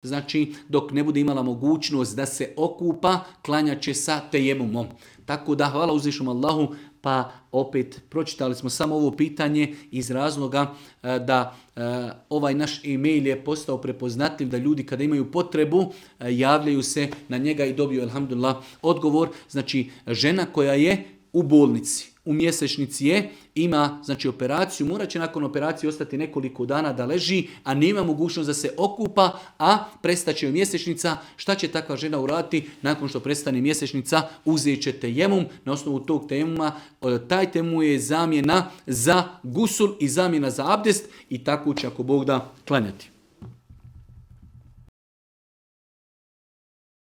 znači dok ne bude imala mogućnost da se okupa, klanjat će sa tejemumom. Tako da hvala uzvišenom Allahu, pa opet pročitali smo samo ovo pitanje iz razloga da ovaj naš e-mail je postao prepoznatljiv, da ljudi kada imaju potrebu javljaju se na njega i dobiju alhamdulillah odgovor. Znači žena koja je u bolnici, u mjesečnici je, ima znači operaciju, morat će nakon operacije ostati nekoliko dana da leži, a nema mogućnost da se okupa, a prestaće joj mjesečnica. Šta će takva žena uraditi nakon što prestane mjesečnica? Uzet će tejemum, na osnovu tog tejemuma, taj tejemum je zamjena za gusul i zamjena za abdest i tako će ako Bog da klanjati.